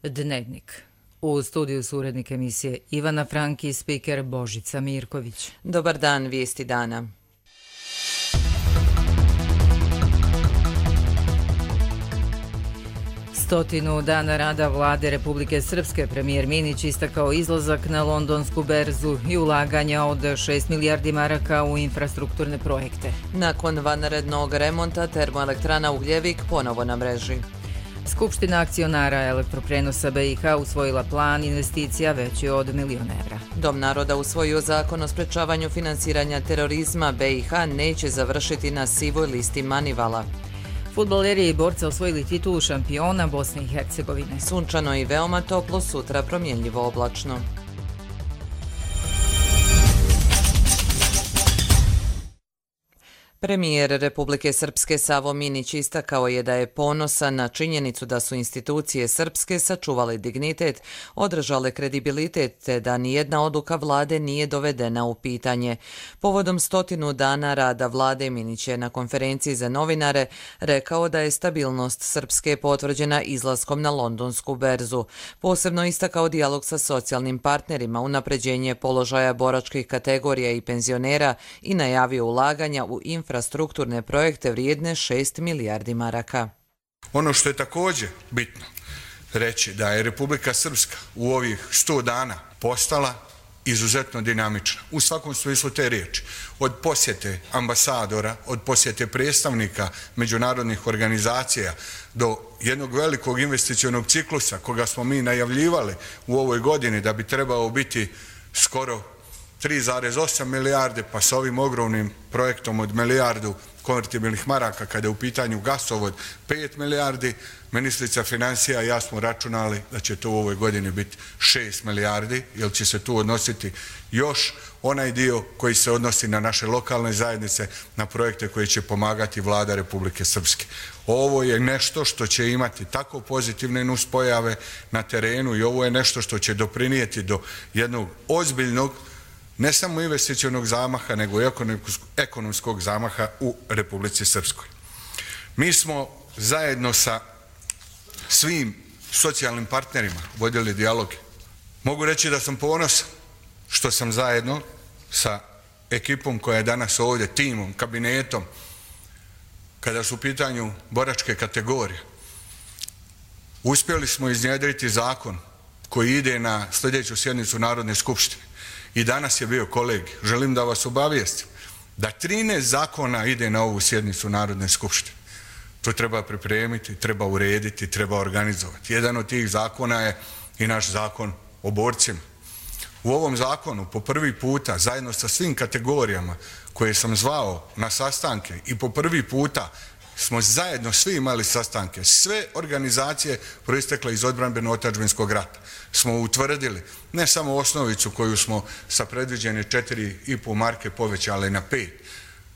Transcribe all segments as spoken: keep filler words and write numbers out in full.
Dnevnik. U studiju su urednik emisije Ivana Frank i spiker Božica Mirković. Dobar dan, vijesti dana. Stotinu dana rada vlade Republike Srpske premijer Minić istakao izlazak na londonsku berzu i ulaganja od šest milijardi maraka u infrastrukturne projekte. Nakon vanrednog remonta termoelektrana Ugljevik ponovo na mreži. Skupština akcionara elektroprenosa B i H usvojila plan investicija veći od milion evra. Dom naroda usvojio zakon o sprečavanju finansiranja terorizma. B i H neće završiti na sivoj listi Manivala. Fudbaleri i borci osvojili titulu šampiona Bosne i Hercegovine. Sunčano i veoma toplo, sutra promjenljivo oblačno. Premijer Republike Srpske Savo Minić istakao je da je ponosan na činjenicu da su institucije srpske sačuvale dignitet, održale kredibilitet te da nijedna odluka vlade nije dovedena u pitanje. Povodom stotinu dana rada vlade Minić je na konferenciji za novinare rekao da je stabilnost Srpske potvrđena izlaskom na londonsku berzu. Posebno istakao dijalog sa socijalnim partnerima, unapređenje položaja boračkih kategorija i penzionera i najavio ulaganja u infrastrukturne infrastrukturne projekte vrijedne šest milijardi maraka. Ono što je također bitno reći da je Republika Srpska u ovih sto dana postala izuzetno dinamična. U svakom smislu te riječi. Od posjete ambasadora, od posjete predstavnika međunarodnih organizacija do jednog velikog investicionog ciklusa koga smo mi najavljivali u ovoj godini da bi trebao biti skoro tri zarez osam milijarde, pa s ovim ogromnim projektom od milijardu konvertibilnih maraka kada je u pitanju gasovod pet milijardi, ministrica financija i ja smo računali da će to u ovoj godini biti šest milijardi, jer će se tu odnositi još onaj dio koji se odnosi na naše lokalne zajednice, na projekte koji će pomagati vlada Republike Srpske. Ovo je nešto što će imati tako pozitivne nuspojave na terenu i ovo je nešto što će doprinijeti do jednog ozbiljnog ne samo investicionog zamaha, nego i ekonomskog zamaha u Republici Srpskoj. Mi smo zajedno sa svim socijalnim partnerima vodili dijaloge. Mogu reći da sam ponosan što sam zajedno sa ekipom koja je danas ovdje, timom, kabinetom, kada su u pitanju boračke kategorije, uspjeli smo iznjedriti zakon koji ide na sljedeću sjednicu Narodne skupštine. I danas je bio kolegi. Želim da vas obavijestim da trinaest zakona ide na ovu sjednicu Narodne skupštine. To treba pripremiti, treba urediti, treba organizovati. Jedan od tih zakona je i naš zakon o borcima. U ovom zakonu po prvi puta zajedno sa svim kategorijama koje sam zvao na sastanke i po prvi puta smo zajedno svi imali sastanke, sve organizacije proistekle iz odbrambeno-otadžbinskog rata smo utvrdili ne samo osnovicu koju smo sa predviđene četiri i pol marke povećali na pet.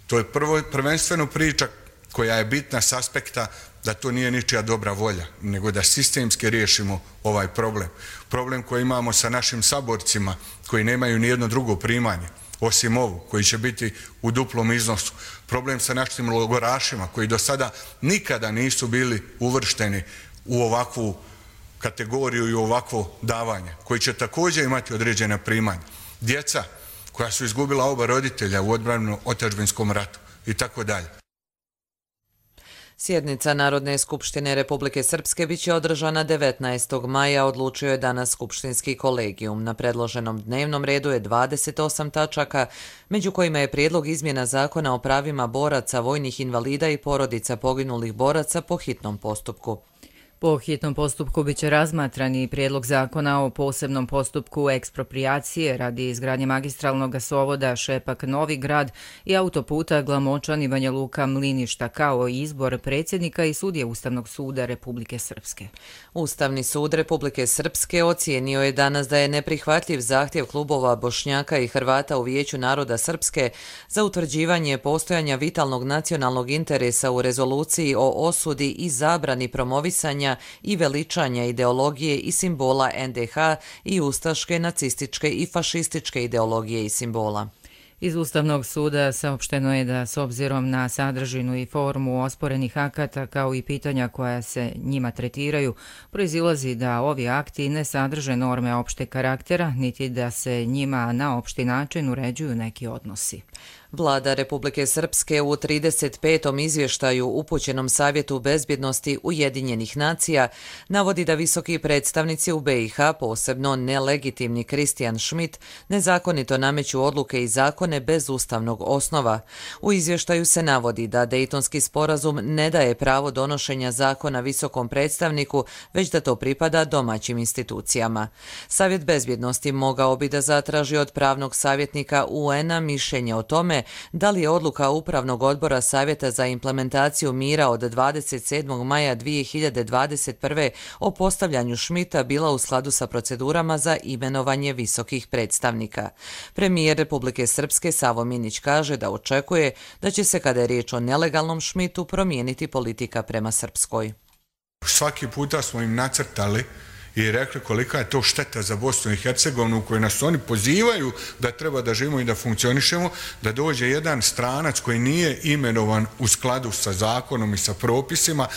To je prvo, prvenstveno priča koja je bitna s aspekta da to nije ničija dobra volja, nego da sistemski riješimo ovaj problem. Problem koji imamo sa našim saborcima koji nemaju nijedno drugo primanje, osim ovu, koji će biti u duplom iznosu. Problem sa našim logorašima koji do sada nikada nisu bili uvršteni u ovakvu kategoriju i ovakvo davanje, koji će također imati određena primanja. Djeca koja su izgubila oba roditelja u odbrambeno-otadžbinskom ratu i tako dalje. Sjednica Narodne skupštine Republike Srpske biće održana devetnaestog maja, odlučio je danas skupštinski kolegijum. Na predloženom dnevnom redu je dvadeset osam tačaka, među kojima je prijedlog izmjena zakona o pravima boraca, vojnih invalida i porodica poginulih boraca po hitnom postupku. Po hitnom postupku biće razmatran i prijedlog zakona o posebnom postupku eksproprijacije radi izgradnje magistralnog gasovoda Šepak-Novi Grad i autoputa Glamočan i Banja Luka-Mliništa, kao i izbor predsjednika i sudije Ustavnog suda Republike Srpske. Ustavni sud Republike Srpske ocijenio je danas da je neprihvatljiv zahtjev klubova Bošnjaka i Hrvata u Vijeću naroda Srpske za utvrđivanje postojanja vitalnog nacionalnog interesa u rezoluciji o osudi i zabrani promovisanja i veličanja ideologije i simbola en de ha i ustaške, nacističke i fašističke ideologije i simbola. Iz Ustavnog suda saopšteno je da s obzirom na sadržinu i formu osporenih akata kao i pitanja koja se njima tretiraju, proizilazi da ovi akti ne sadrže norme opšteg karaktera, niti da se njima na opšti način uređuju neki odnosi. Vlada Republike Srpske u trideset petom izvještaju upućenom Savjetu bezbjednosti Ujedinjenih nacija navodi da visoki predstavnici u be i ha, posebno nelegitimni Christian Schmidt, nezakonito nameću odluke i zakone bez ustavnog osnova. U izvještaju se navodi da Dejtonski sporazum ne daje pravo donošenja zakona visokom predstavniku, već da to pripada domaćim institucijama. Savjet bezbjednosti mogao bi da zatraži od pravnog savjetnika u en a mišljenje o tome da li je odluka Upravnog odbora Savjeta za implementaciju mira od dvadeset sedmog maja dvije hiljade dvadeset prve o postavljanju Schmidta bila u skladu sa procedurama za imenovanje visokih predstavnika. Premijer Republike Srpske Savo Minić kaže da očekuje da će se, kada je riječ o nelegalnom Schmidtu, promijeniti politika prema Srpskoj. Svaki puta smo im nacrtali i rekli kolika je to šteta za Bosnu i Hercegovinu u kojoj nas oni pozivaju da treba da živimo i da funkcionišemo, da dođe jedan stranac koji nije imenovan u skladu sa zakonom i sa propisima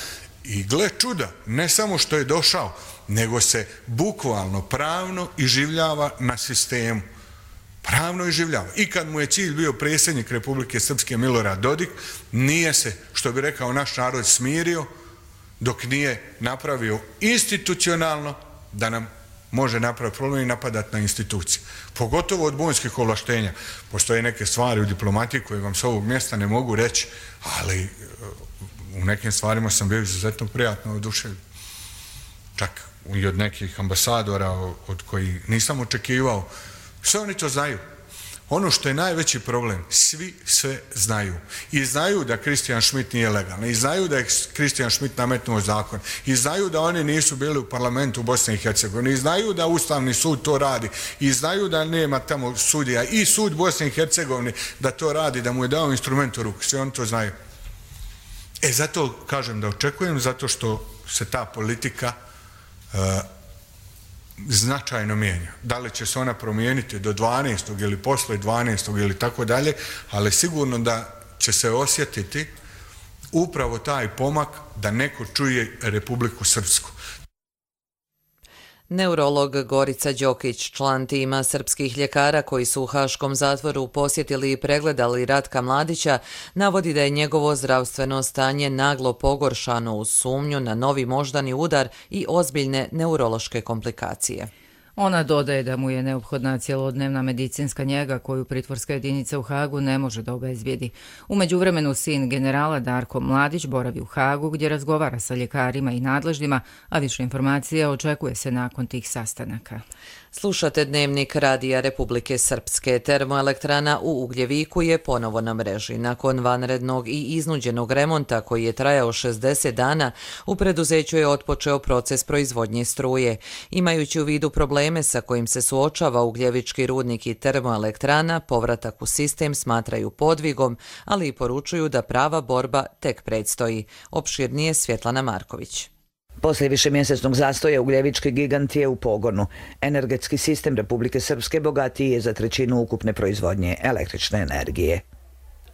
i gle čuda, ne samo što je došao, nego se bukvalno pravno iživljava na sistemu. Pravno iživljava. I kad mu je cilj bio predsjednik Republike Srpske Milorad Dodik, nije se, što bi rekao naš narod, smirio dok nije napravio institucionalno da nam može napraviti problem i napadati na institucije. Pogotovo od bonskih ovlaštenja. Postoje neke stvari u diplomatiji koje vam s ovog mjesta ne mogu reći, ali u nekim stvarima sam bio izuzetno prijatno oduševljen. Čak i od nekih ambasadora od kojih nisam očekivao. Sve oni to znaju. Ono što je najveći problem, svi sve znaju. I znaju da Christian Schmidt nije legalan. I znaju da je Christian Schmidt nametnuo zakon. I znaju da oni nisu bili u parlamentu u Bosni i Hercegovini. I znaju da Ustavni sud to radi. I znaju da nema tamo sudija. I sud Bosne i Hercegovine da to radi, da mu je dao instrument u ruku. Svi oni to znaju. E zato kažem da očekujem, zato što se ta politika uh, značajno mijenja. Da li će se ona promijeniti do dvanaestog ili posle dvanaestog ili tako dalje, ali sigurno da će se osjetiti upravo taj pomak da neko čuje Republiku Srpsku. Neurolog Gorica Đokić, član tima srpskih ljekara koji su u haškom zatvoru posjetili i pregledali Ratka Mladića, navodi da je njegovo zdravstveno stanje naglo pogoršano uz sumnju na novi moždani udar i ozbiljne neurološke komplikacije. Ona dodaje da mu je neophodna cjelodnevna medicinska njega koju pritvorska jedinica u Hagu ne može da obezbijedi. U međuvremenu sin generala Darko Mladić boravi u Hagu gdje razgovara sa ljekarima i nadležnima, a više informacija očekuje se nakon tih sastanaka. Slušate Dnevnik Radija Republike Srpske. Termoelektrana u Ugljeviku je ponovo na mreži. Nakon vanrednog i iznuđenog remonta koji je trajao šezdeset dana, u preduzeću je otpočeo proces proizvodnje struje. Imajući u vidu probleme sa kojim se suočava Ugljevički rudnik i termoelektrana, povratak u sistem smatraju podvigom, ali i poručuju da prava borba tek predstoji. Opširnije Svjetlana Marković. Poslije višemjesečnog zastoja Ugljevički gigant je u pogonu. Energetski sistem Republike Srpske bogatiji je za trećinu ukupne proizvodnje električne energije.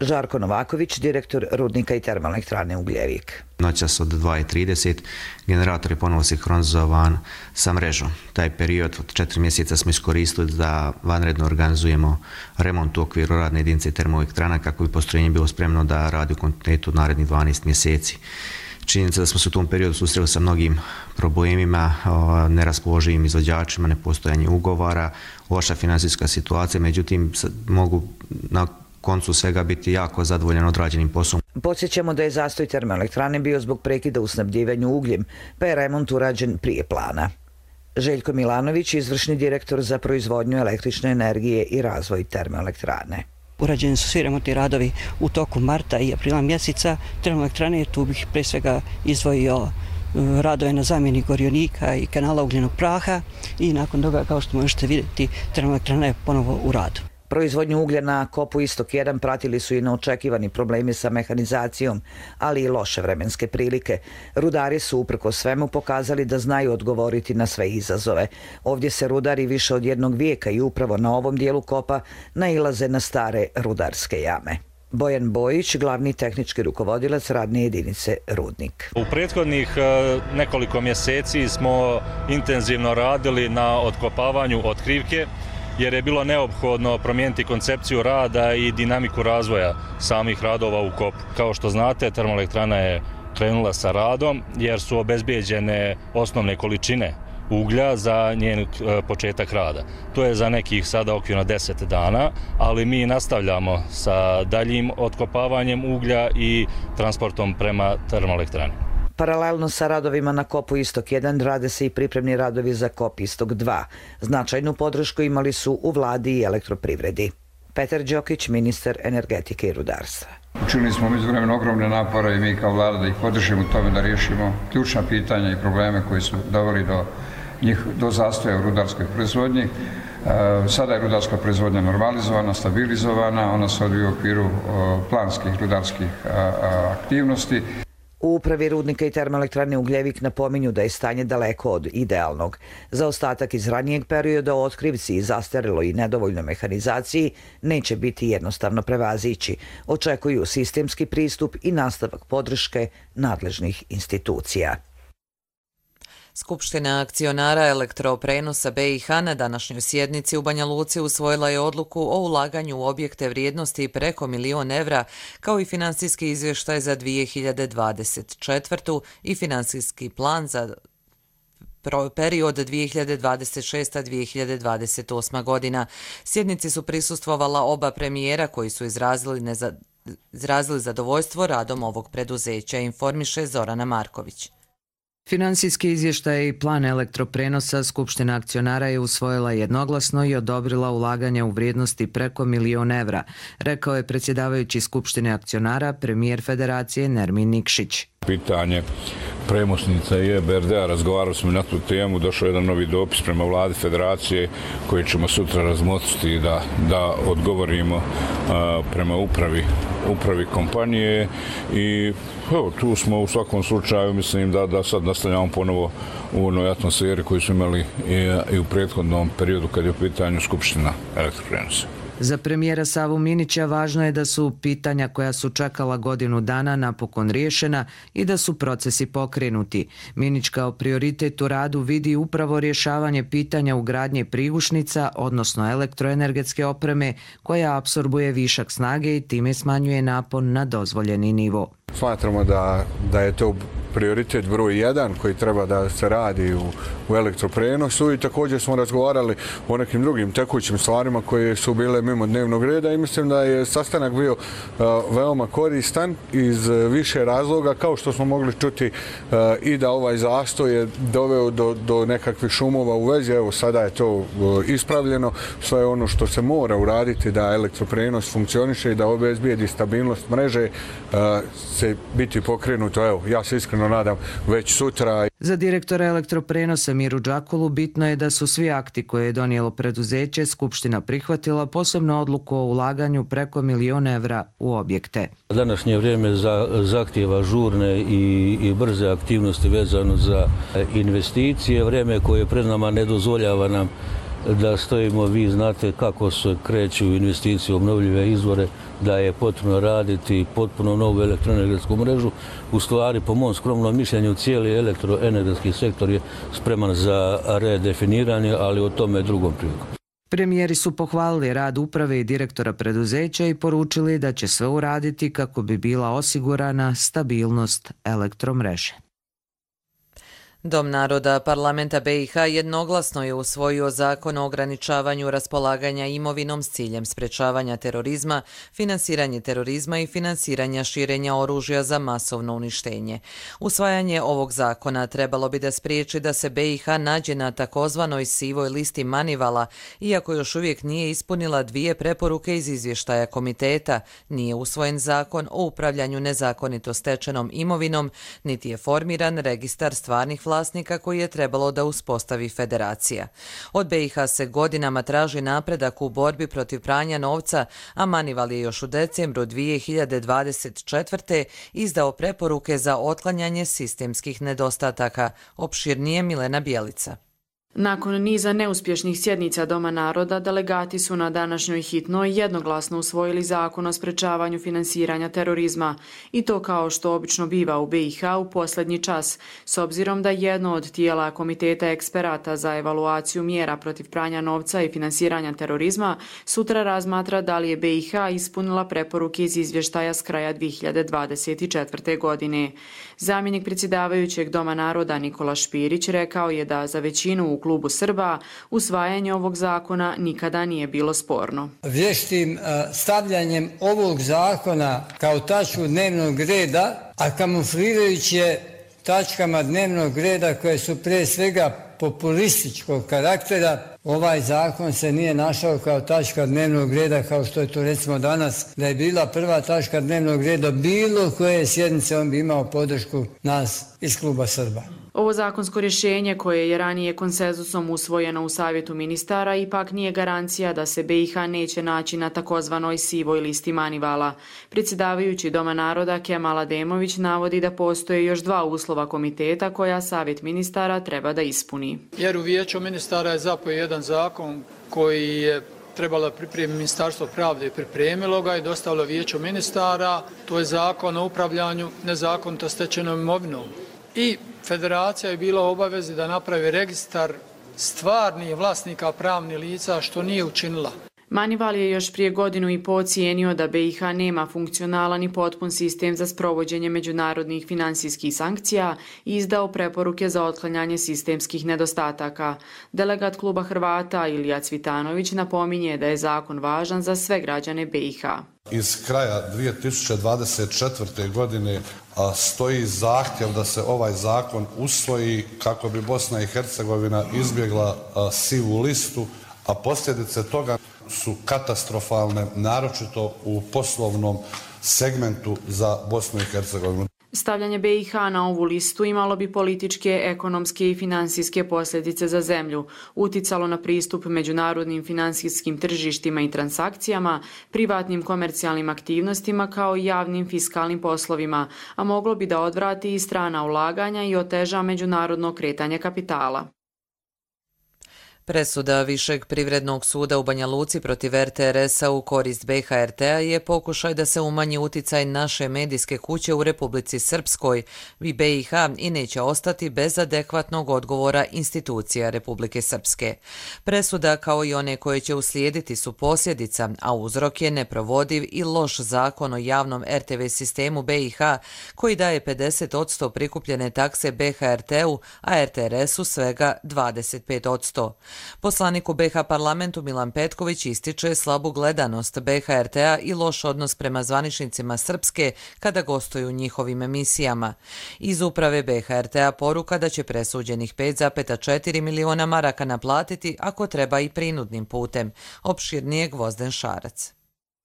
Žarko Novaković, direktor rudnika i termoelektrane Ugljevik. Noćas od dva i trideset generator je ponovo sinhronizovan sa mrežom. Taj period od četiri mjeseca smo iskoristili da vanredno organizujemo remont u okviru radne jedinice termoelektrana kako bi postrojenje bilo spremno da radi u kontinuitetu narednih dvanaest mjeseci. Činjenica da smo se u tom periodu susreli sa mnogim problemima, neraspoloživim izvođačima, nepostojanje ugovara, loša financijska situacija, međutim mogu na koncu svega biti jako zadovoljan odrađenim poslom. Podsjećamo da je zastoj termoelektrane bio zbog prekida u snabdjevanju ugljem, pa je remont urađen prije plana. Željko Milanović, izvršni direktor za proizvodnju električne energije i razvoj termoelektrane. Urađeni su svi remontni radovi u toku marta i aprila mjeseca termoelektrane. Tu bih pre svega izdvojio radove na zamjeni gorionika i kanala ugljenog praha i nakon toga, kao što možete vidjeti, termoelektrana je ponovo u radu. Proizvodnju uglja na kopu Istok jedan pratili su i neočekivani problemi sa mehanizacijom, ali i loše vremenske prilike. Rudari su uprkos svemu pokazali da znaju odgovoriti na sve izazove. Ovdje se rudari više od jednog vijeka i upravo na ovom dijelu kopa nailaze na stare rudarske jame. Bojan Bojić, glavni tehnički rukovodilac radne jedinice Rudnik. U prethodnih nekoliko mjeseci smo intenzivno radili na otkopavanju otkrivke, jer je bilo neophodno promijeniti koncepciju rada i dinamiku razvoja samih radova u kopu. Kao što znate, termoelektrana je krenula sa radom jer su obezbijeđene osnovne količine uglja za njen početak rada. To je za nekih sada okvirno deset dana, ali mi nastavljamo sa daljim otkopavanjem uglja i transportom prema termoelektrani. Paralelno sa radovima na kopu Istok jedan rade se i pripremni radovi za kop Istok dva. Značajnu podršku imali su u vladi i elektroprivredi. Petar Đokić, ministar energetike i rudarstva. Učinili smo međuvremeno ogromne napore i mi kao vlada da ih podržimo u tome da riješimo ključna pitanja i probleme koji su doveli do njih do zastoja u rudarskoj proizvodnji. Sada je rudarska proizvodnja normalizovana, stabilizovana, ona se odvija u okviru planskih rudarskih aktivnosti. U upravi Rudnika i termoelektrane Ugljevik napominju da je stanje daleko od idealnog. Za ostatak iz ranijeg perioda o otkrivci i zastareloj i nedovoljnoj mehanizaciji neće biti jednostavno prevazići. Očekuju sistemski pristup i nastavak podrške nadležnih institucija. Skupština akcionara elektroprenosa B i H na današnjoj sjednici u Banja Luci usvojila je odluku o ulaganju u objekte vrijednosti preko milion evra, kao i finansijski izvještaj za dvije hiljade dvadeset četvrtu. i finansijski plan za period dvije hiljade dvadeset šesta do dvije hiljade dvadeset osma godina. Sjednici su prisustvovala oba premijera koji su izrazili, neza, izrazili zadovoljstvo radom ovog preduzeća, informiše Zorana Marković. Finansijski izvještaj i plan elektroprenosa Skupština akcionara je usvojila jednoglasno i odobrila ulaganje u vrijednosti preko milion evra, rekao je predsjedavajući Skupštine akcionara premijer Federacije Nermin Nikšić. Pitanje premosnica i E B R D-a, razgovarali smo na tu temu, došao je jedan novi dopis prema vladi Federacije koji ćemo sutra razmotriti da, da odgovorimo a, prema upravi, upravi kompanije i evo, tu smo u svakom slučaju, mislim da, da sad nastavljamo ponovo u onoj atmosferi koju smo imali i, i u prethodnom periodu kad je u pitanju Skupština elektroprenosa. Za premijera Savu Minića važno je da su pitanja koja su čekala godinu dana napokon riješena i da su procesi pokrenuti. Minić kao prioritet u radu vidi upravo rješavanje pitanja ugradnje prigušnica, odnosno elektroenergetske opreme, koja apsorbuje višak snage i time smanjuje napon na dozvoljeni nivo. Smatramo da, da je to prioritet broj jedan koji treba da se radi u, u elektroprenosu i također smo razgovarali o nekim drugim tekućim stvarima koje su bile mimo dnevnog reda i mislim da je sastanak bio uh, veoma koristan iz više razloga, kao što smo mogli čuti uh, i da ovaj zastoj je doveo do, do nekakvih šumova u vezi. Evo sada je to uh, ispravljeno, sve ono što se mora uraditi da elektroprenos funkcioniše i da obezbijedi stabilnost mreže uh, se biti pokrenuto. Evo, ja se iskreno nadam već sutra. Za direktora elektroprenosa Miru Đakulu bitno je da su svi akti koje je donijelo preduzeće Skupština prihvatila, posebno odluku o ulaganju preko milion evra u objekte. Današnje vrijeme za, zahtjeva žurne i, i brze aktivnosti vezano za investicije. Vrijeme koje pred nama ne dozvoljava nam da stojimo, vi znate kako se kreću investicije u obnovljive izvore, da je potrebno raditi potpuno novu elektroenergetsku mrežu. U stvari, po mom skromnom mišljenju, cijeli elektroenergetski sektor je spreman za redefiniranje, ali o tome drugom prilikom. Premijeri su pohvalili rad uprave i direktora preduzeća i poručili da će sve uraditi kako bi bila osigurana stabilnost elektromreže. Dom naroda parlamenta B i H jednoglasno je usvojio zakon o ograničavanju raspolaganja imovinom s ciljem sprečavanja terorizma, finansiranje terorizma i finansiranja širenja oružja za masovno uništenje. Usvajanje ovog zakona trebalo bi da spriječi da se B i H nađe na takozvanoj sivoj listi Manivala, iako još uvijek nije ispunila dvije preporuke iz izvještaja komiteta, nije usvojen zakon o upravljanju nezakonito stečenom imovinom, niti je formiran registar stvarnih vlasnika vlasnika koji je trebalo da uspostavi federacija. Od B i H se godinama traži napredak u borbi protiv pranja novca, a Manival je još u decembru dvije hiljade dvadeset četvrte. izdao preporuke za otklanjanje sistemskih nedostataka. Opširnije Milena Bjelica. Nakon niza neuspješnih sjednica Doma naroda, delegati su na današnjoj hitnoj jednoglasno usvojili zakon o sprečavanju finansiranja terorizma. I to kao što obično biva u B i H u posljednji čas, s obzirom da jedno od tijela Komiteta eksperata za evaluaciju mjera protiv pranja novca i finansiranja terorizma sutra razmatra da li je B i H ispunila preporuke iz izvještaja s kraja dvije hiljade dvadeset četvrte. godine. Zamjenik predsjedavajućeg Doma naroda Nikola Špirić rekao je da za većinu u klubu Srba usvajanje ovog zakona nikada nije bilo sporno. Vještim stavljanjem ovog zakona kao tačku dnevnog reda, a kamuflirajući je tačkama dnevnog reda koje su prije svega populističkog karaktera, ovaj zakon se nije našao kao tačka dnevnog reda kao što je to recimo danas, da je bila prva tačka dnevnog reda bilo koje sjednice, on bi imao podršku nas iz kluba Srba. Ovo zakonsko rješenje koje je ranije konsenzusom usvojeno u Savjetu ministara ipak nije garancija da se B i H neće naći na takozvanoj sivoj listi Manivala. Predsjedavajući Doma naroda Kemal Ademović navodi da postoje još dva uslova komiteta koja Savjet ministara treba da ispuni. Jer u Vijeću ministara je zapeo jedan zakon koji je trebalo pripremiti Ministarstvo pravde i pripremilo ga i dostavilo Vijeću ministara. To je zakon o upravljanju nezakonito stečenom imovinom. I federacija je bila u obavezi da napravi registar stvarnih vlasnika pravnih lica, što nije učinila. Manival je još prije godinu i po ocijenio da B i H nema funkcionalan i potpun sistem za sprovođenje međunarodnih finansijskih sankcija i izdao preporuke za otklanjanje sistemskih nedostataka. Delegat kluba Hrvata Ilija Cvitanović napominje da je zakon važan za sve građane B i H. Iz kraja dvije tisuće dvadeset četvrte. godine a, stoji zahtjev da se ovaj zakon usvoji kako bi Bosna i Hercegovina izbjegla a, sivu listu, a posljedice toga su katastrofalne, naročito u poslovnom segmentu za Bosnu i Hercegovinu. Stavljanje B i H na ovu listu imalo bi političke, ekonomske i finansijske posljedice za zemlju, uticalo na pristup međunarodnim finansijskim tržištima i transakcijama, privatnim komercijalnim aktivnostima kao i javnim fiskalnim poslovima, a moglo bi da odvrati i strana ulaganja i oteža međunarodno kretanje kapitala. Presuda Višeg privrednog suda u Banja Luci protiv R T R S-a u korist B H R T-a je pokušaj da se umanji uticaj naše medijske kuće u Republici Srpskoj i B i H i neće ostati bez adekvatnog odgovora institucija Republike Srpske. Presuda, kao i one koje će uslijediti, su posljedica, a uzrok je neprovodiv i loš zakon o javnom R T V sistemu B i H koji daje pedeset posto prikupljene takse B H R T-u, a R T R S-u svega dvadeset pet posto. Poslanik u B H parlamentu Milan Petković ističe slabu gledanost B H R T-a i loš odnos prema zvaničnicima Srpske kada gostuju u njihovim emisijama. Iz uprave B H R T-a poruka da će presuđenih pet zarez četiri miliona maraka naplatiti ako treba i prinudnim putem. Opširnije Gvozden Šarac.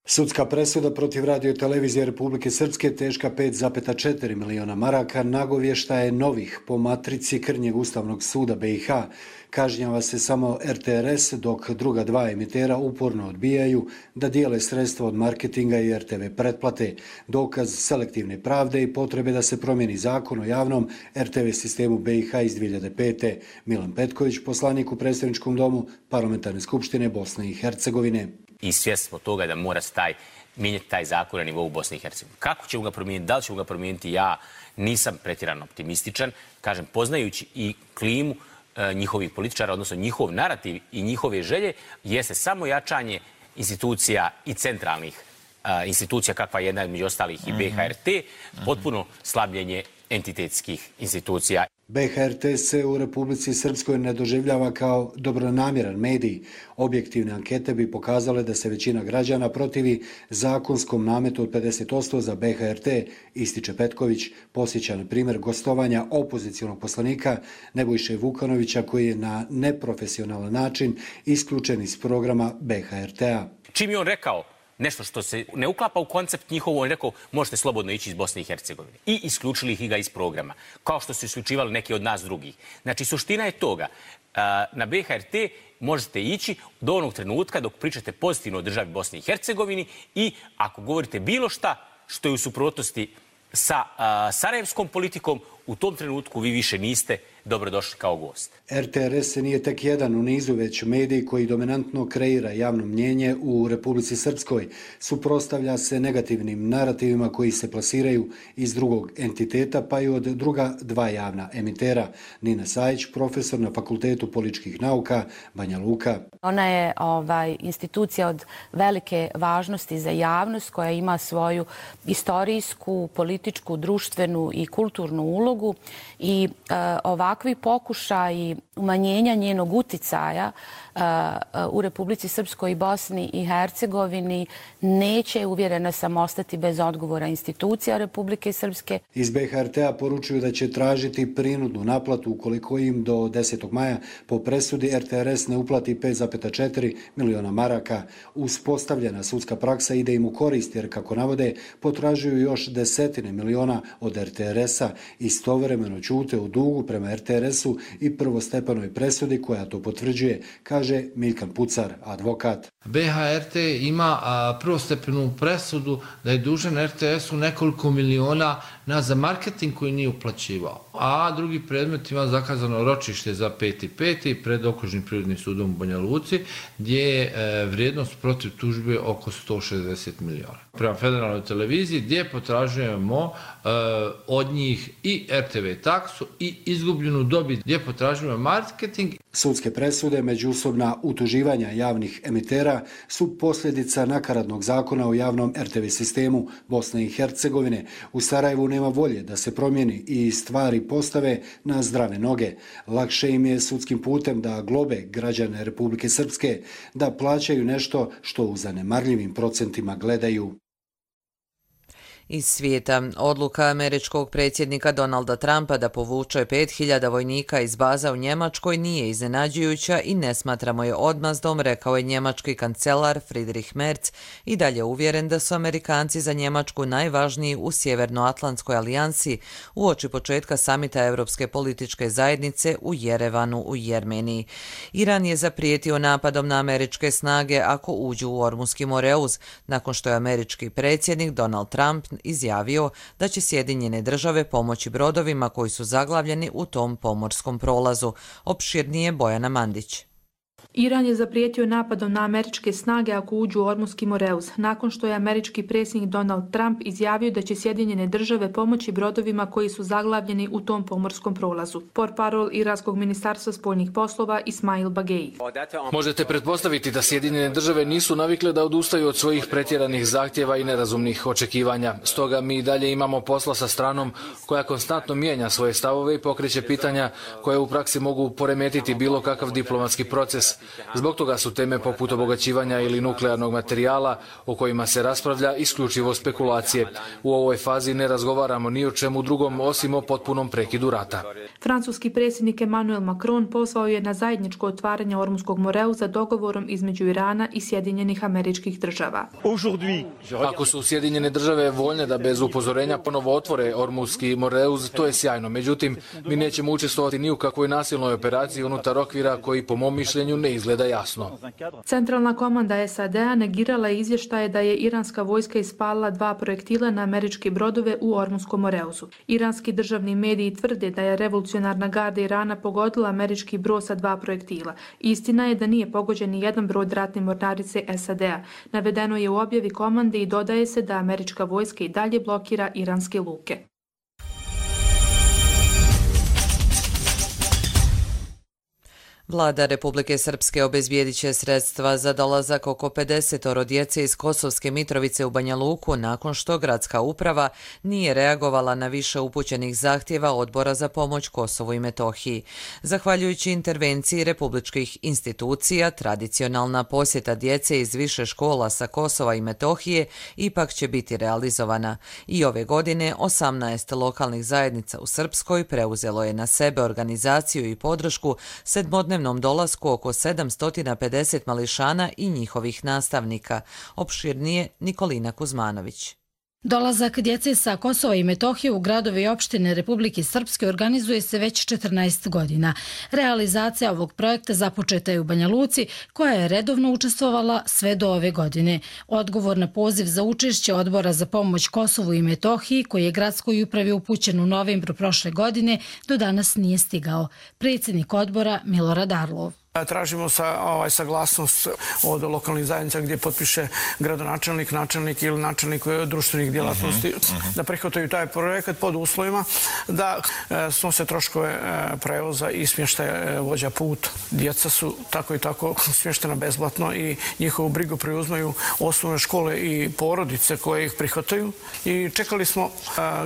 Sudska presuda protiv radio i televizije Republike Srpske teška pet zarez četiri miliona maraka nagovješta je novih po matrici krnjeg Ustavnog suda B i H. Kažnjava se samo R T R S, dok druga dva emitera uporno odbijaju da dijele sredstva od marketinga i R T V pretplate. Dokaz selektivne pravde i potrebe da se promijeni zakon o javnom R T V sistemu B i H iz dvije hiljade pete. Milan Petković, poslanik u predstavničkom domu Parlamentarne skupštine Bosne i Hercegovine. I svjesni smo toga da mora se taj, mijenjati taj zakon na nivou Bosne i Hercegovine. Kako ćemo ga promijeniti, da li ćemo ga promijeniti, ja nisam pretjerano optimističan. Kažem, poznajući i klimu e, njihovih političara, odnosno njihov narativ i njihove želje, jeste samo jačanje institucija i centralnih e, institucija, kakva je jedna među ostalih i B H R T, potpuno slabljenje entitetskih institucija. B H R T se u Republici Srpskoj ne doživljava kao dobronamjeran medij. Objektivne ankete bi pokazale da se većina građana protivi zakonskom nametu od pedeset posto za B H R T, ističe Petković. Posjeća na primjer gostovanja opozicionog poslanika Nebojše Vukanovića koji je na neprofesionalan način isključen iz programa B H R T-a. Čim je on rekao nešto što se ne uklapa u koncept njihovo, on rekao možete slobodno ići iz Bosne i Hercegovine. I isključili ih ga iz programa, kao što su isključivali neki od nas drugih. Znači, suština je toga. Na B H R T možete ići do onog trenutka dok pričate pozitivno o državi Bosni i Hercegovini i ako govorite bilo šta što je u suprotnosti sa sarajevskom politikom, u tom trenutku vi više niste dobrodošli kao gost. R T R S nije tek jedan u nizu, već medij koji dominantno kreira javno mnjenje u Republici Srpskoj. Suprotstavlja se negativnim narativima koji se plasiraju iz drugog entiteta, pa i od druga dva javna emitera. Nina Sajić, profesor na Fakultetu političkih nauka, Banja Luka. Ona je ovaj, institucija od velike važnosti za javnost koja ima svoju istorijsku, političku, društvenu i kulturnu ulogu i e, ovakvi pokušaji umanjenja njenog uticaja uh, u Republici Srpskoj i Bosni i Hercegovini neće, uvjerena sam, ostati bez odgovora institucija Republike Srpske. Iz B H R T-a poručuju da će tražiti prinudnu naplatu ukoliko im do desetog maja po presudi R T R S ne uplati pet zarez četiri miliona maraka. Uspostavljena sudska praksa ide im u korist jer, kako navode, potražuju još desetine miliona od R T R S-a. Istovremeno ćute u dugu prema R T R S-u i prvostepenoj presudi koja to potvrđuje, kaže Milkan Pucar, advokat. B H R T ima a, prvostepenu presudu da je dužan R T S-u nekoliko miliona na za marketing koji nije uplaćivao. A drugi predmet ima zakazano ročište za peti peti pred Okružnim prirodnim sudom u Banja Luci, gdje je e, vrijednost protiv tužbe oko sto šezdeset miliona. Prema federalnoj televiziji gdje potražujemo e, od njih i R T V taksu i izgubljenu dobit, gdje potražujemo marketing. Sudske presude, međusobna utuživanja javnih emitera su posljedica nakaradnog zakona o javnom R T V sistemu Bosne i Hercegovine. U Sarajevu nema volje da se promijeni i stvari postave na zdrave noge. Lakše im je sudskim putem da globe građane Republike Srpske, da plaćaju nešto što u zanemarljivim procentima gledaju. Iz svijeta, odluka američkog predsjednika Donalda Trumpa da povuče pet hiljada vojnika iz baza u Njemačkoj nije iznenađujuća i ne smatramo je odmazdom, rekao je njemački kancelar Friedrich Merz, i dalje uvjeren da su Amerikanci za Njemačku najvažniji u Sjevernoatlantskoj alijansi uoči početka samita Europske političke zajednice u Jerevanu u Jermeniji. Iran je zaprijetio napadom na američke snage ako uđu u Ormuski Moreuz, nakon što je američki predsjednik Donald Trump izjavio da će Sjedinjene države pomoći brodovima koji su zaglavljeni u tom pomorskom prolazu. Opširnije Bojana Mandić. Iran je zaprijetio napadom na američke snage ako uđu u Ormuski Moreuz, nakon što je američki predsjednik Donald Trump izjavio da će Sjedinjene države pomoći brodovima koji su zaglavljeni u tom pomorskom prolazu. Portparol Iranskog ministarstva spoljnih poslova Ismail Bagei. Možete pretpostaviti da Sjedinjene države nisu navikle da odustaju od svojih pretjeranih zahtjeva i nerazumnih očekivanja. Stoga mi dalje imamo posla sa stranom koja konstantno mijenja svoje stavove i pokreće pitanja koje u praksi mogu poremetiti bilo kakav diplomatski proces. Zbog toga su teme poput obogaćivanja ili nuklearnog materijala o kojima se raspravlja isključivo spekulacije. U ovoj fazi ne razgovaramo ni o čemu drugom osim o potpunom prekidu rata. Francuski predsjednik Emmanuel Macron pozvao je na zajedničko otvaranje Ormuskog Moreuza dogovorom između Irana i Sjedinjenih Američkih Država. Ako su Sjedinjene države voljne da bez upozorenja ponovo otvore Ormuski Moreuz, to je sjajno. Međutim, mi nećemo učestvovati ni u kakvoj nasilnoj operaciji unutar okvira koji, po mom mišljenju, ne izgleda jasno. Centralna komanda S A D-a negirala izvještaje da je iranska vojska ispalila dva projektila na američke brodove u Ormuskom Moreuzu. Iranski državni mediji tvrde da je revolucionarna garda Irana pogodila američki brod sa dva projektila. Istina je da nije pogođen ni jedan brod ratne mornarice S A D-a. Navedeno je u objavi komande i dodaje se da američka vojska i dalje blokira iranske luke. Vlada Republike Srpske obezbijedit će sredstva za dolazak oko pedesetoro djece iz Kosovske Mitrovice u Banja Luku nakon što gradska uprava nije reagovala na više upućenih zahtjeva Odbora za pomoć Kosovu i Metohiji. Zahvaljujući intervenciji republičkih institucija, tradicionalna posjeta djece iz više škola sa Kosova i Metohije ipak će biti realizovana. I ove godine osamnaest lokalnih zajednica u Srpskoj preuzelo je na sebe organizaciju i podršku sedmodnevnog svakodnevnom dolasku oko sedamsto pedeset mališana i njihovih nastavnika. Opširnije Nikolina Kuzmanović. Dolazak djece sa Kosova i Metohije u gradove i opštine Republike Srpske organizuje se već četrnaest godina. Realizacija ovog projekta započeta je u Banja Luci, koja je redovno učestvovala sve do ove godine. Odgovor na poziv za učešće Odbora za pomoć Kosovu i Metohiji, koji je gradskoj upravi upućen u novembru prošle godine, do danas nije stigao. Predsjednik odbora Milorad Arlov. Tražimo sa, ovaj, saglasnost od lokalnih zajednica gdje potpiše gradonačelnik, načelnik ili načelnik društvenih djelatnosti uh-huh, uh-huh. da prihvataju taj projekat pod uslovima da e, snose troškove e, prevoza i smještaja vođa put. Djeca su tako i tako smještena besplatno i njihovu brigu preuzmaju osnovne škole i porodice koje ih prihvataju. I čekali smo e,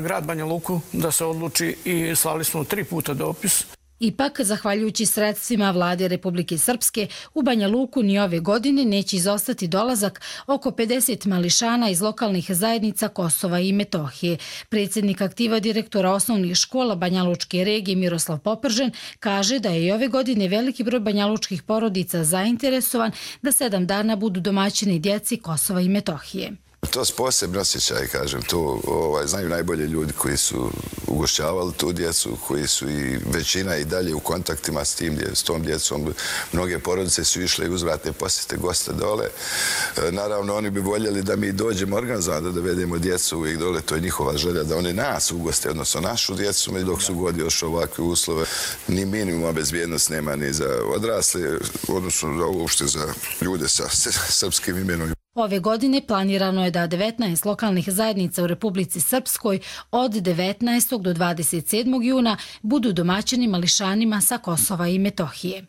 grad Banja Luku da se odluči i slali smo tri puta dopis. Ipak, zahvaljujući sredstvima vlade Republike Srpske, u Banja Luku ni ove godine neće izostati dolazak oko pedeset mališana iz lokalnih zajednica Kosova i Metohije. Predsjednik aktiva direktora osnovnih škola Banja Lučke regije Miroslav Popržen kaže da je i ove godine veliki broj banjalučkih porodica zainteresovan da sedam dana budu domaćini djeci Kosova i Metohije. To je posebno osjećaj, kažem, to ovaj, znaju najbolje ljudi koji su ugošćavali tu djecu, koji su i većina i dalje u kontaktima s, tim, s tom djecom. Mnoge porodice su išle i uzvratne posjete goste dole. E, naravno, oni bi voljeli da mi dođemo organizovano, da dovedemo djecu uvijek dole, to je njihova želja, da oni nas ugoste, odnosno našu djecu, dok su god još ovakve uslove. Ni minimuma bezbjednost nema ni za odrasle, odnosno za uopšte za ljude sa srpskim imenom. Ove godine planirano je da devetnaest lokalnih zajednica u Republici Srpskoj od devetnaestog do dvadeset sedmog juna budu domaćini mališanima sa Kosova i Metohije.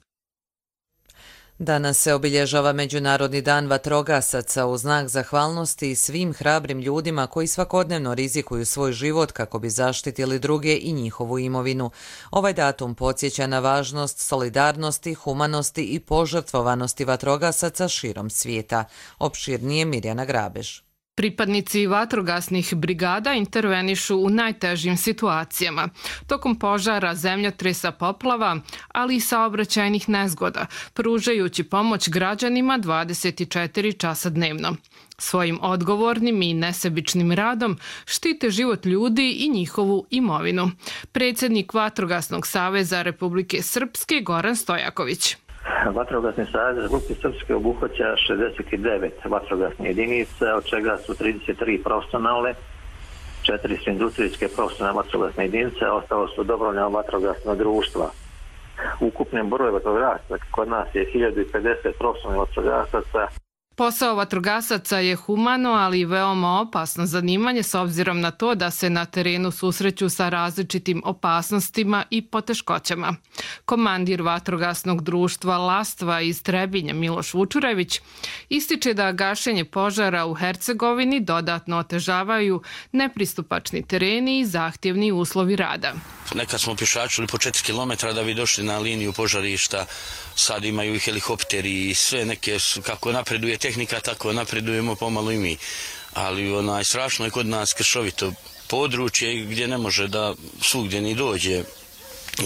Danas se obilježava Međunarodni dan vatrogasaca u znak zahvalnosti svim hrabrim ljudima koji svakodnevno rizikuju svoj život kako bi zaštitili druge i njihovu imovinu. Ovaj datum podsjeća na važnost solidarnosti, humanosti i požrtvovanosti vatrogasaca širom svijeta. Opširnije Mirjana Grabež. Pripadnici vatrogasnih brigada intervenišu u najtežim situacijama, tokom požara, zemljotresa, poplava, ali i saobraćajnih nezgoda, pružajući pomoć građanima dvadeset četiri časa dnevno. Svojim odgovornim i nesebičnim radom štite život ljudi i njihovu imovinu. Predsjednik Vatrogasnog saveza Republike Srpske Goran Stojaković. Vatrogasni savez Republike Srpske obuhvaća šezdeset devet vatrogasne jedinice, od čega su trideset tri profesionalne, četiri su industrijske profesionalne vatrogasne jedinice, a ostalo su dobrovoljna vatrogasna društva. Ukupni broj vatrogasaca kod nas je hiljadu pedeset profesionalnih vatrogasaca. Posao vatrogasaca je humano, ali i veoma opasno zanimanje s obzirom na to da se na terenu susreću sa različitim opasnostima i poteškoćama. Komandir vatrogasnog društva Lastva iz Trebinja Miloš Vučurević ističe da gašenje požara u Hercegovini dodatno otežavaju nepristupačni tereni i zahtjevni uslovi rada. Nekad smo pješačili po četiri kilometra da bi došli na liniju požarišta, sad imaju i helikopteri i sve neke, kako napreduje tehnika, tako napredujemo pomalo i mi. Ali onaj, strašno je kod nas kršovito područje gdje ne može da svugdje ni dođe,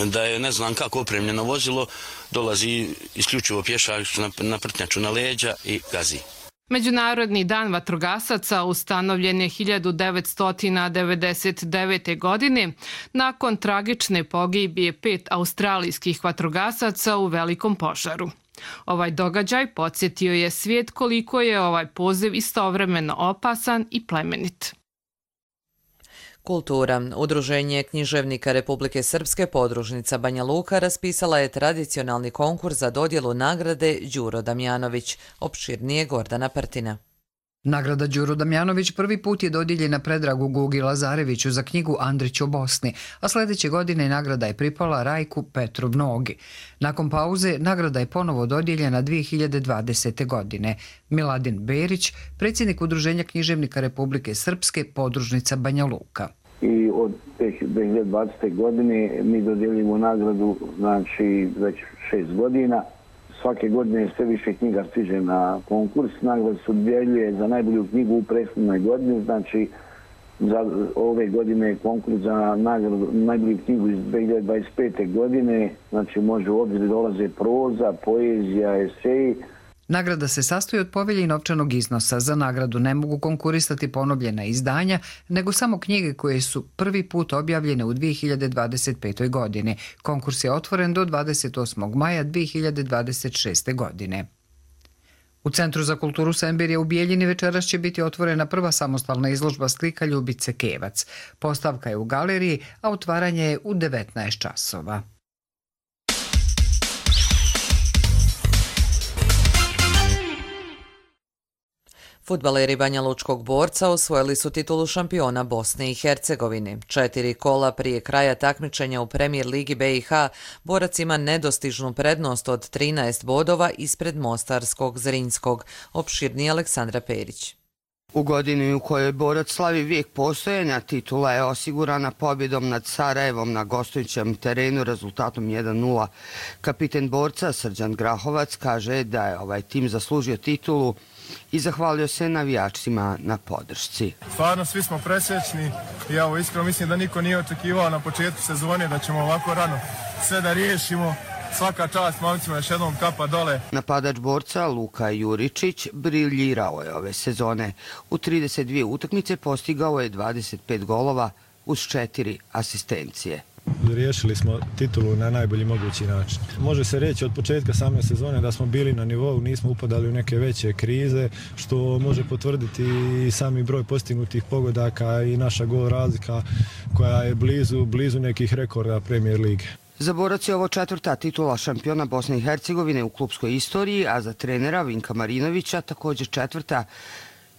da je ne znam kako opremljeno vozilo, dolazi isključivo pješač na, na prtnjaču na leđa i gazi. Međunarodni dan vatrogasaca ustanovljen je hiljadu devetsto devedeset devete. godine nakon tragične pogibije pet australijskih vatrogasaca u velikom požaru. Ovaj događaj podsjetio je svijet koliko je ovaj poziv istovremeno opasan i plemenit. Kultura. Udruženje književnika Republike Srpske podružnica Banja Luka raspisala je tradicionalni konkurs za dodjelu nagrade Đuro Damjanović. Opširnije Gordana Prtina. Nagrada Đuro Damjanović prvi put je dodijeljena Predragu Gugi Lazareviću za knjigu Andrić o Bosni, a sljedeće godine nagrada je pripala Rajku Petru Mnogi. Nakon pauze, nagrada je ponovo dodijeljena dvije hiljade dvadesete. godine. Miladin Berić, predsjednik Udruženja književnika Republike Srpske, podružnica Banja Luka. I od dvije hiljade dvadesete. godine mi dodjeljujemo nagradu, znači već šest godina. Svake godine sve više knjiga stiže na konkurs. Nagrada se dodjeljuje za najbolju knjigu u prethodnoj godini, znači za ove godine konkurs za nagradu, najbolju knjigu iz dvije hiljade dvadeset pete. godine. Znači može u obzir dolaze proza, poezija, eseji. Nagrada se sastoji od povelje i novčanog iznosa. Za nagradu ne mogu konkurisati ponovljena izdanja, nego samo knjige koje su prvi put objavljene u dvije hiljade dvadeset petoj. godini. Konkurs je otvoren do dvadeset osmog maja dvije hiljade dvadeset šeste. godine. U Centru za kulturu Sembirja u Bijeljini večeras će biti otvorena prva samostalna izložba slika Ljubice Kevac. Postavka je u galeriji, a otvaranje je u devetnaest časova. Fudbaleri Banja Lučkog Borca osvojili su titulu šampiona Bosne i Hercegovine. Četiri kola prije kraja takmičenja u Premijer Ligi B i H, Borac ima nedostižnu prednost od trinaest bodova ispred Mostarskog Zrinskog. Opširnije Aleksandra Perić. U godini u kojoj Borac slavi vijek postojanja, titula je osigurana pobjedom nad Sarajevom na gostujućem terenu rezultatom jedan nula. Kapiten Borca Srđan Grahovac kaže da je ovaj tim zaslužio titulu i zahvalio se navijačima na podršci. Stvarno svi smo presrećni i evo iskreno mislim da niko nije očekivao na početku sezone da ćemo ovako rano sve da riješimo. Svaka čast momcima, još jednom kapa dole. Napadač Borca Luka Juričić briljirao je ove sezone. U trideset dvije utakmice postigao je dvadeset pet golova uz četiri asistencije. Riješili smo titulu na najbolji mogući način. Može se reći od početka same sezone da smo bili na nivou, nismo upadali u neke veće krize, što može potvrditi i sami broj postignutih pogodaka i naša gol razlika koja je blizu, blizu nekih rekorda Premijer lige. Za Borac je ovo četvrta titula šampiona Bosne i Hercegovine u klupskoj istoriji, a za trenera Vinka Marinovića također četvrta,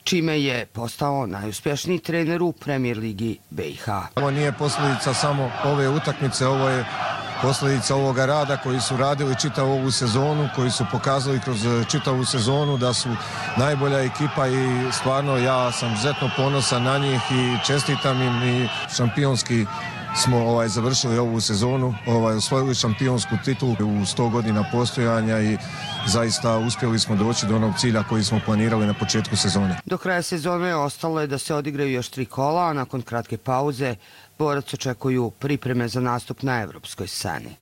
čime je postao najuspješniji trener u Premijer Ligi B i H. Ovo nije posljedica samo ove utakmice, ovo je posljedica ovoga rada koji su radili čitavu ovu sezonu, koji su pokazali kroz čitavu sezonu da su najbolja ekipa i stvarno ja sam izuzetno ponosan na njih i čestitam im i šampionski smo ovaj, završili ovu sezonu, ovaj, osvojili šampionsku titulu u sto godina postojanja i zaista uspjeli smo doći do onog cilja koji smo planirali na početku sezone. Do kraja sezone ostalo je da se odigraju još tri kola, a nakon kratke pauze Borac očekuju pripreme za nastup na evropskoj sceni.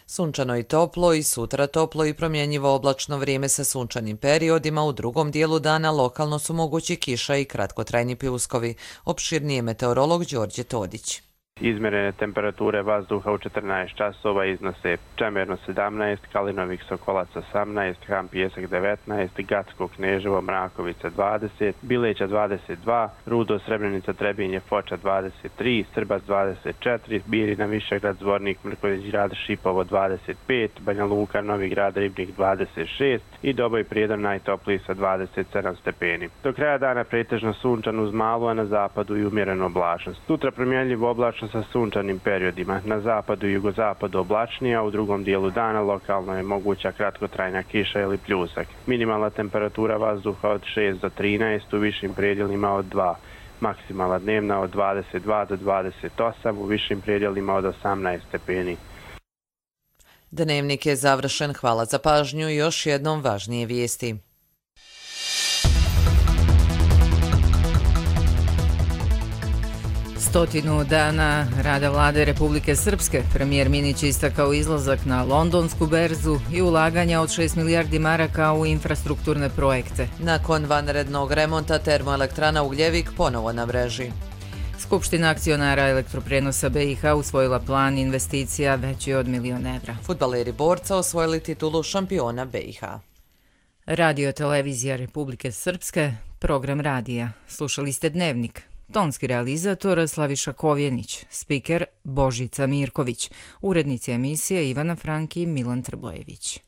Sunčano i toplo i sutra toplo i promjenjivo oblačno vrijeme sa sunčanim periodima. U drugom dijelu dana lokalno su mogući kiša i kratkotrajni pljuskovi. Opširnije meteorolog Đorđe Todić. Izmjerene temperature vazduha u četrnaest časova iznose Čemerno sedamnaest, Kalinovik Sokolac osamnaest, Ham Pijesak devetnaest, Gacko Kneževo Mrakovica dvadeset, Bileća dvadeset dva, Rudo Srebrenica Trebinje Foča dvadeset tri, Srbac dvadeset četiri, Birina Višegrad Zvornik Mrković Grad Šipovo dvadeset pet, Banja Luka Novi Grad Ribnik dvadeset šest i Doboj Prijedor najtopliji sa dvadeset sedam stepeni. Do kraja dana pretežno sunčan uz malu, a na zapadu i umjerenu oblačnost. Sutra promjenljivo oblačno sa sunčanim periodima. Na zapadu i jugozapadu oblačnije, a u drugom dijelu dana lokalno je moguća kratkotrajna kiša ili pljusak. Minimalna temperatura vazduha od šest do trinaest, u višim predjelima od dva. Maksimalna dnevna od dvadeset dva do dvadeset osam, u višim predjelima od osamnaest stepeni. Dnevnik je završen. Hvala za pažnju i još jednom važnije vijesti. Stotinu dana rada vlade Republike Srpske, premijer Minić istakao izlazak na londonsku berzu i ulaganja od šest milijardi maraka u infrastrukturne projekte. Nakon vanrednog remonta termoelektrana Ugljevik ponovo na mreži. Skupština akcionara elektroprenosa B i H usvojila plan investicija veći od milion evra. Fudbaleri Borca osvojili titulu šampiona B i H. Radio televizija Republike Srpske, program radija. Slušali ste Dnevnik. Tonski realizator Slaviša Kovjenić, spiker Božica Mirković, urednici emisije Ivana Franki i Milan Trbojević.